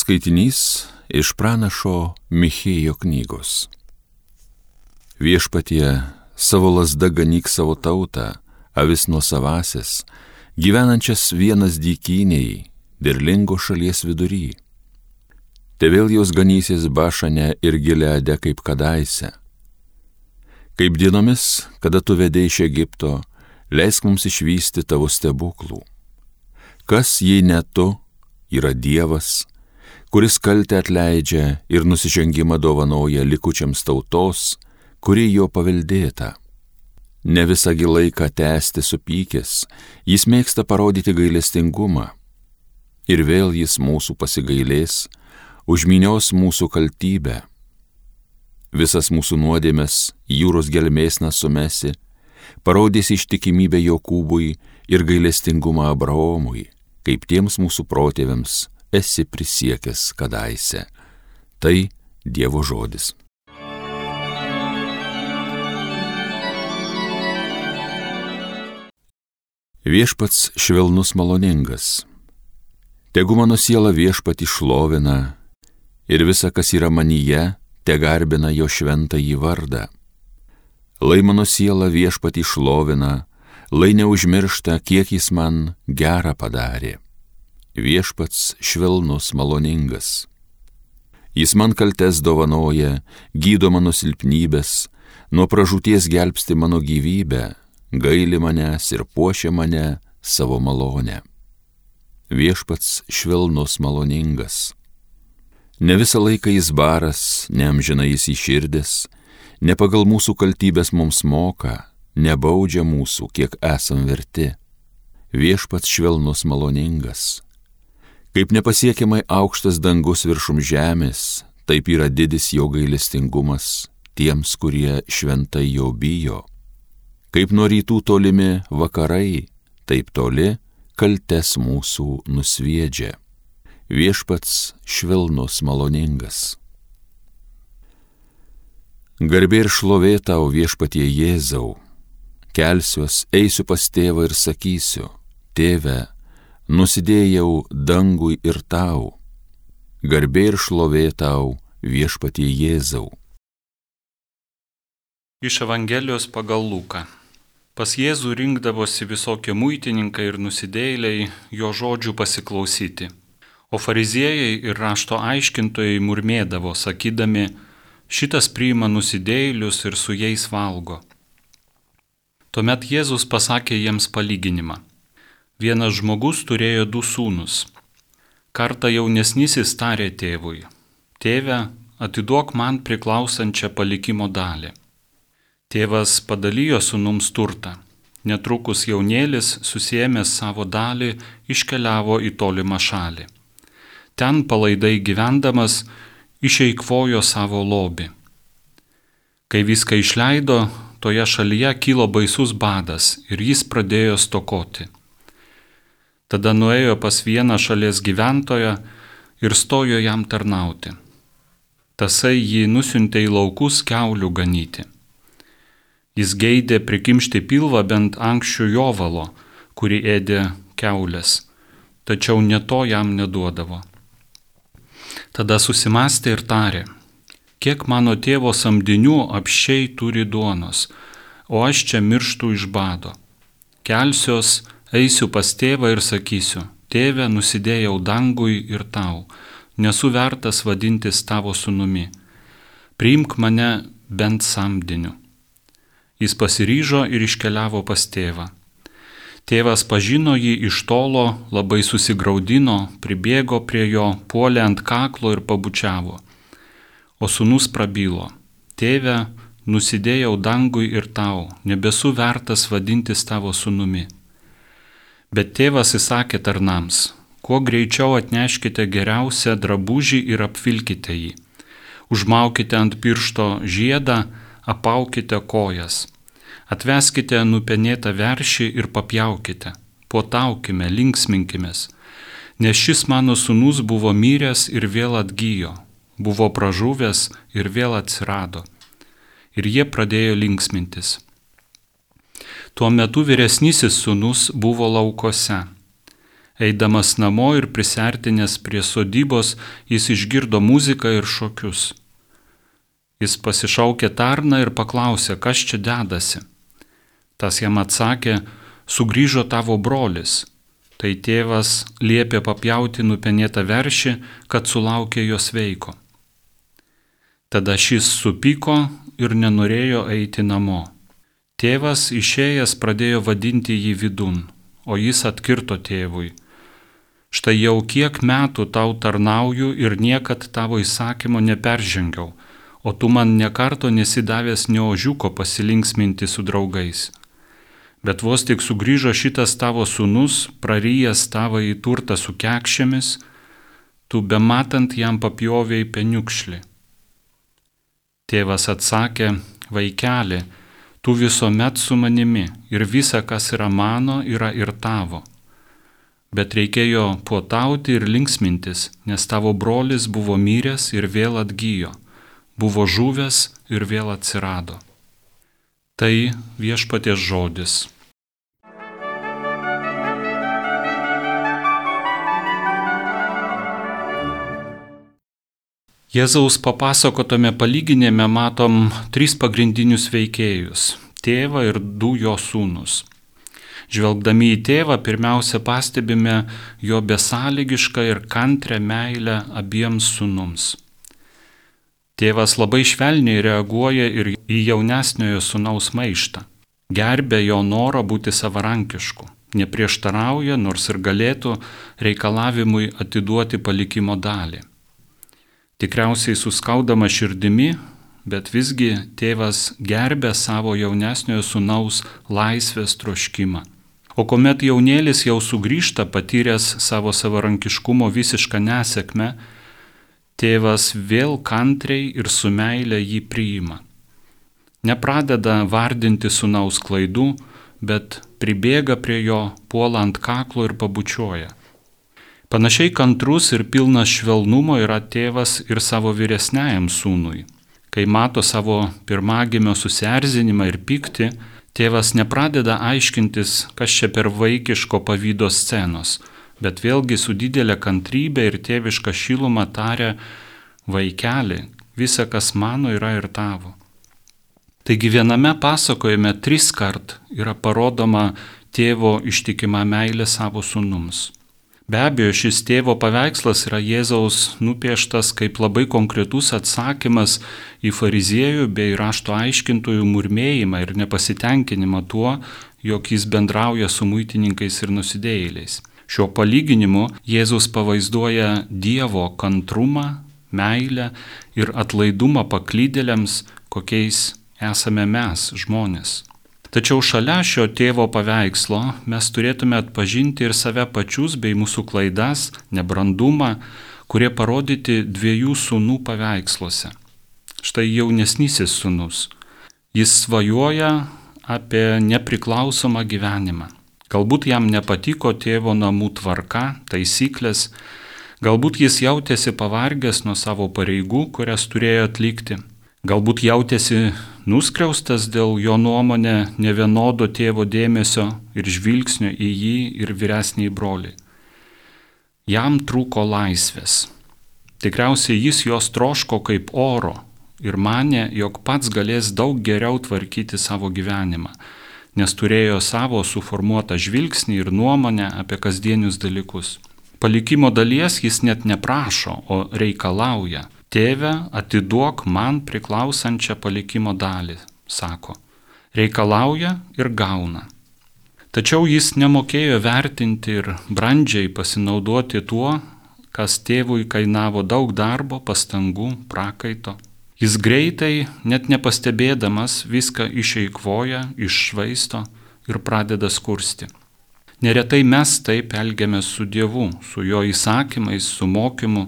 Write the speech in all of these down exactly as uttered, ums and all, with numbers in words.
Skaitinys iš pranašo Michėjo knygos. Viešpatie, savo lazda ganyk savo tautą, avis nuosavąsias, gyvenančias vienas dykynėj, derlingo šalies vidury. Te vėl jos ganysis Bašane ir Gileade kaip kadaise. Kaip dienomis, kada tu vedei iš Egipto, leisk mums išvysti tavo stebuklų. Kas, jei ne tu, yra Dievas, kuris kaltę atleidžia ir nusižengimą dovanoja likučiams tautos, kuri jo paveldėta. Ne visągi laiką tęsti supykęs, jis mėgsta parodyti gailestingumą. Ir vėl jis mūsų pasigailės, užminios mūsų kaltybę. Visas mūsų nuodėmes jūros gelmėsna sumesi, parodys ištikimybę Jokūbui ir gailestingumą Abraomui, kaip tiems mūsų protėviams esi prisiekęs kadaise. Tai Dievo žodis. Viešpats švelnus maloningas. Tegu mano siela Viešpatį šlovina ir visa, kas yra manyje, te garbina jo šventąjį vardą. Lai mano siela Viešpatį šlovina, lai neužmiršta, kiek jis man gerą padarė. Viešpats švelnus maloningas. Jis man kaltes dovanoja, gydo mano silpnybės, nuo pražūties gelbsti mano gyvybę, gaili manęs ir puošia mane savo malonę. Viešpats švelnus maloningas. Ne visą laiką jis baras, neamžina jis įširdęs, ne pagal mūsų kaltybės mums moka, nebaudžia mūsų, kiek esam verti. Viešpats švelnus maloningas. Kaip nepasiekiamai aukštas dangus viršum žemės, taip yra didis jo gailestingumas tiems, kurie šventai jo bijo. Kaip nuo rytų tolimi vakarai, taip toli kaltes mūsų nusviedžia. Viešpats švelnus maloningas. Garbė ir šlovė tau, Viešpatie Jėzau. Kelsiuos, eisiu pas tėvą ir sakysiu: Tėve, nusidėjau dangui ir tau. Garbė ir šlovė tau, Viešpatie Jėzau. Iš Evangelijos pagal Luką. Pas Jėzų rinkdavosi visokie muitininkai ir nusidėjėliai jo žodžių pasiklausyti. O fariziejai ir rašto aiškintojai murmėdavo, sakydami: šitas priima nusidėjėlius ir su jais valgo. Tuomet Jėzus pasakė jiems palyginimą. Vienas žmogus turėjo du sūnus. Kartą jaunesnysis tarė tėvui: Tėve, atiduok man priklausančią palikimo dalį. Tėvas padalijo sūnums turtą. Netrukus jaunėlis, susiėmęs savo dalį, iškeliavo į tolimą šalį. Ten palaidai gyvendamas išeikvojo savo lobį. Kai viską išleido, toje šalyje kilo baisus badas ir jis pradėjo stokoti. Tada nuėjo pas vieną šalies gyventoją ir stojo jam tarnauti. Tasai jį nusiuntė į laukus kiaulių ganyti. Jis geidė prikimšti pilvą bent ankščių jovalo, kurį ėdė kiaulės, tačiau ne to jam neduodavo. Tada susimastė ir tarė: kiek mano tėvo samdinių apsčiai turi duonos, o aš čia mirštu iš bado. Kelsiuos, eisiu pas tėvą ir sakysiu: Tėve, nusidėjau dangui ir tau, nesu vertas vadintis tavo sūnumi. Priimk mane bent samdiniu. Jis pasiryžo ir iškeliavo pas tėvą. Tėvas pažino jį iš tolo, labai susigraudino, pribėgo prie jo, puolė ant kaklo ir pabučiavo. O sūnus prabilo: Tėve, nusidėjau dangui ir tau, nebesu vertas vadintis tavo sūnumi. Bet tėvas įsakė tarnams: kuo greičiau atneškite geriausią drabužį ir apvilkite jį. Užmaukite ant piršto žiedą, apaukite kojas. Atveskite nupenėtą veršį ir papjaukite. Puotaukime, linksminkimės. Nes šis mano sūnus buvo miręs ir vėl atgyjo, buvo pražuvęs ir vėl atsirado. Ir jie pradėjo linksmintis. Tuo metu vyresnysis sūnus buvo laukose. Eidamas namo ir prisertinęs prie sodybos, jis išgirdo muziką ir šokius. Jis pasišaukė tarną ir paklausė, kas čia dedasi. Tas jam atsakė, sugrįžo tavo brolis. Tai tėvas liepė papjauti nupenėtą veršį, kad sulaukė jo sveiko. Tada šis supyko ir nenorėjo eiti namo. Tėvas išėjęs pradėjo vadinti jį vidun, o jis atkirto tėvui. Štai jau kiek metų tau tarnauju ir niekad tavo įsakymo neperžengiau, o tu man nekarto nesidavęs nė ožiuko pasilinksminti su draugais. Bet vos tik sugrįžo šitas tavo sūnus, prarijęs tavo į turtą su kekšėmis, tu bematant jam papjovėjai peniukšlį. Tėvas atsakė, vaikeli, tu visuomet su manimi ir visa, kas yra mano, yra ir tavo. Bet reikėjo puotauti ir linksmintis, nes tavo brolis buvo miręs ir vėl atgijo, buvo žuvęs ir vėl atsirado. Tai viešpaties žodis. Jėzaus papasakotame palyginime matom tris pagrindinius veikėjus – tėvą ir du jo sūnus. Žvelgdami į tėvą, pirmiausia pastebime jo besąlygišką ir kantrią meilę abiems sūnums. Tėvas labai švelniai reaguoja ir į jaunesniojo sūnaus maištą. Gerbia jo norą būti savarankišku, neprieštarauja, nors ir galėtų reikalavimui atiduoti palikimo dalį. Tikriausiai suskaudama širdimi, bet visgi tėvas gerbė savo jaunesniojo sūnaus laisvės troškimą. O kuomet jaunėlis jau sugrįžta patyręs savo savarankiškumo visišką nesėkmę, tėvas vėl kantriai ir su meile jį priima. Nepradeda vardinti sūnaus klaidų, bet pribėga prie jo, puola ant kaklo ir pabučioja. Panašiai kantrus ir pilnas švelnumo yra tėvas ir savo vyresniajam sūnui. Kai mato savo pirmagimio susierzinimą ir pyktį, tėvas nepradeda aiškintis, kas čia per vaikiško pavydo scenos, bet vėlgi su didelė kantrybė ir tėviška šiluma taria, vaikeli, visa, kas mano, yra ir tavo. Taigi viename pasakojime tris kart yra parodoma tėvo ištikima meilė savo sūnums. Be abejo, šis tėvo paveikslas yra Jėzaus nupieštas kaip labai konkretus atsakymas į fariziejų bei rašto aiškintojų murmėjimą ir nepasitenkinimą tuo, jog jis bendrauja su muitininkais ir nusidėjėliais. Šiuo palyginimu Jėzus pavaizduoja Dievo kantrumą, meilę ir atlaidumą paklydėliams, kokiais esame mes, žmonės. Tačiau šalia šio tėvo paveikslo mes turėtume atpažinti ir save pačius bei mūsų klaidas, nebrandumą, kurie parodyti dviejų sūnų paveiksluose. Štai jaunesnysis sūnus. Jis svajoja apie nepriklausomą gyvenimą. Galbūt jam nepatiko tėvo namų tvarka, taisyklės, galbūt jis jautėsi pavargęs nuo savo pareigų, kurias turėjo atlikti. Galbūt jautėsi nuskriaustas dėl jo nuomonę nevienodo tėvo dėmesio ir žvilgsnio į jį ir vyresnį brolį. Jam trūko laisvės. Tikriausiai jis jos troško kaip oro ir manė, jog pats galės daug geriau tvarkyti savo gyvenimą, nes turėjo savo suformuotą žvilgsnį ir nuomonę apie kasdienius dalykus. Palikimo dalies jis net neprašo, o reikalauja. Tėve, atiduok man priklausančią palikimo dalį, sako. Reikalauja ir gauna. Tačiau jis nemokėjo vertinti ir brandžiai pasinaudoti tuo, kas tėvui kainavo daug darbo, pastangų, prakaito. Jis greitai, net nepastebėdamas, viską išeikvoja, iššvaisto ir pradeda skursti. Neretai mes taip elgiamės su Dievu, su jo įsakymais, su mokymu,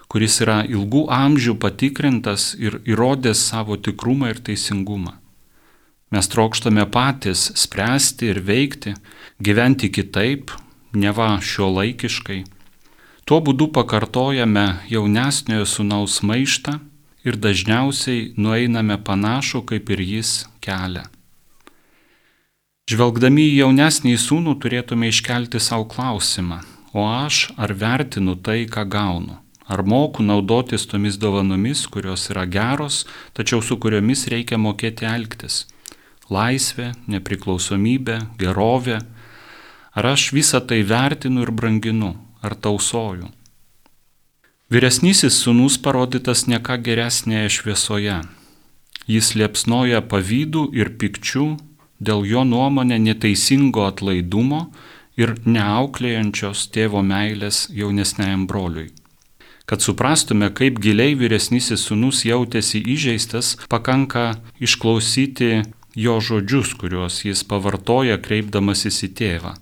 kuris yra ilgų amžių patikrintas ir įrodęs savo tikrumą ir teisingumą. Mes trokštame patys spręsti ir veikti, gyventi kitaip, neva šiuolaikiškai. Tuo būdu pakartojame jaunesniojo sūnaus maištą ir dažniausiai nueiname panašų kaip ir jis kelią. Žvelgdami į jaunesnį sūnų turėtume iškelti savo klausimą, o aš ar vertinu tai, ką gaunu? Ar moku naudotis tomis dovanomis, kurios yra geros, tačiau su kuriomis reikia mokėti elgtis? Laisvė, nepriklausomybė, gerovė. Ar aš visą tai vertinu ir branginu, ar tausoju? Vyresnysis sūnus parodytas ne ką geresnėje šviesoje. Jis liepsnoja pavydų ir pikčių dėl jo nuomonė neteisingo atlaidumo ir neauklėjančios tėvo meilės jaunesniajam broliui. Kad suprastume, kaip giliai vyresnysis sūnus jautėsi įžeistas, pakanka išklausyti jo žodžius, kuriuos jis pavartoja kreipdamasis į tėvą.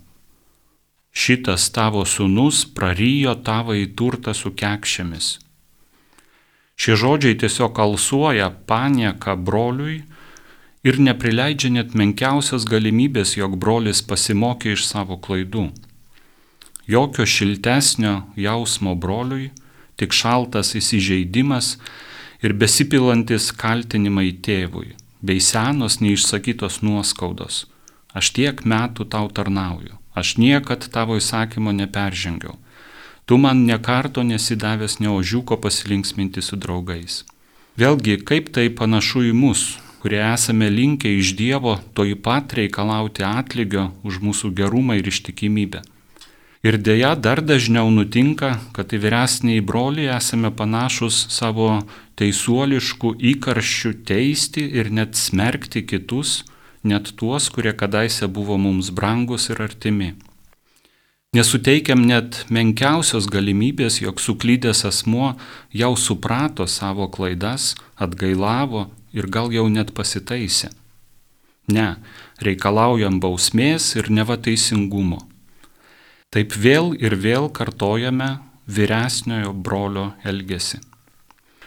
Šitas tavo sūnus prarijo tavąjį turtą su kekšėmis. Šie žodžiai tiesiog alsuoja panieką broliui ir neprileidžia net menkiausios galimybės, jog brolis pasimokė iš savo klaidų. Jokio šiltesnio jausmo broliui, tik šaltas įsižeidimas ir besipilantis kaltinimai tėvui, bei senos neišsakytos nuoskaudos. Aš tiek metų tau tarnauju, aš niekad tavo įsakymo neperžengiau. Tu man nekarto nesidavęs ne ožiuko pasilinksminti su draugais. Vėlgi, kaip tai panašu į mus, kurie esame linkę iš Dievo toj pat reikalauti atlygio už mūsų gerumą ir ištikimybę. Ir dėja dar dažniau nutinka, kad į vyresnįjį brolį esame panašus savo teisuoliškų įkarščių teisti ir net smerkti kitus, net tuos, kurie kadaise buvo mums brangus ir artimi. Nesuteikiam net menkiausios galimybės, jog suklydęs asmuo jau suprato savo klaidas, atgailavo ir gal jau net pasitaisė. Ne, reikalaujam bausmės ir neva teisingumo. Taip vėl ir vėl kartojame vyresniojo brolio elgesį.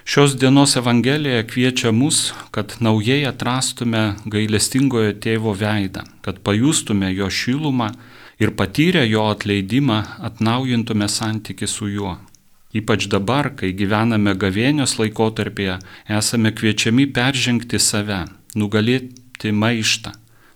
Šios dienos Evangelija kviečia mus, kad naujai atrastume gailestingojo tėvo veidą, kad pajustume jo šilumą ir patyrę jo atleidimą atnaujintume santykį su juo. Ypač dabar, kai gyvename gavėnios laikotarpyje, esame kviečiami peržengti save, nugalėti maištą,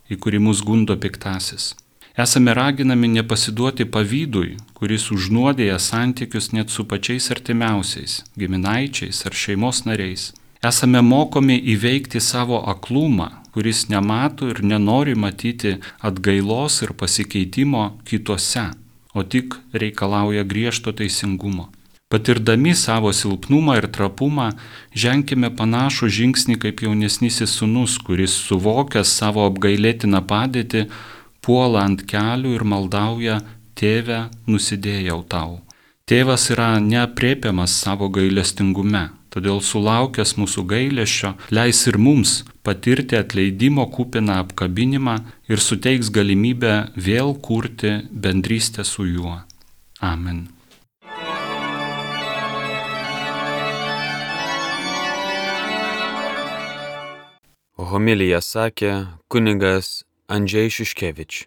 į kurį mus gundo piktasis. Esame raginami nepasiduoti pavydui, kuris užnuodėja santykius net su pačiais artimiausiais, giminaičiais ar šeimos nariais. Esame mokomi įveikti savo aklumą, kuris nemato ir nenori matyti atgailos ir pasikeitimo kituose, o tik reikalauja griežto teisingumo. Patirdami savo silpnumą ir trapumą, ženkime panašų žingsnį kaip jaunesnysis sūnus, kuris suvokęs savo apgailėtiną padėtį, puola ant kelių ir maldauja: Tėve, nusidėjau tau. Tėvas yra neaprėpiamas savo gailestingume, todėl sulaukęs mūsų gailesčio leis ir mums patirti atleidimo kupiną apkabinimą ir suteiks galimybę vėl kurti bendrystę su juo. Amen. Homiliją sakė kunigas Andžej Šiškevič.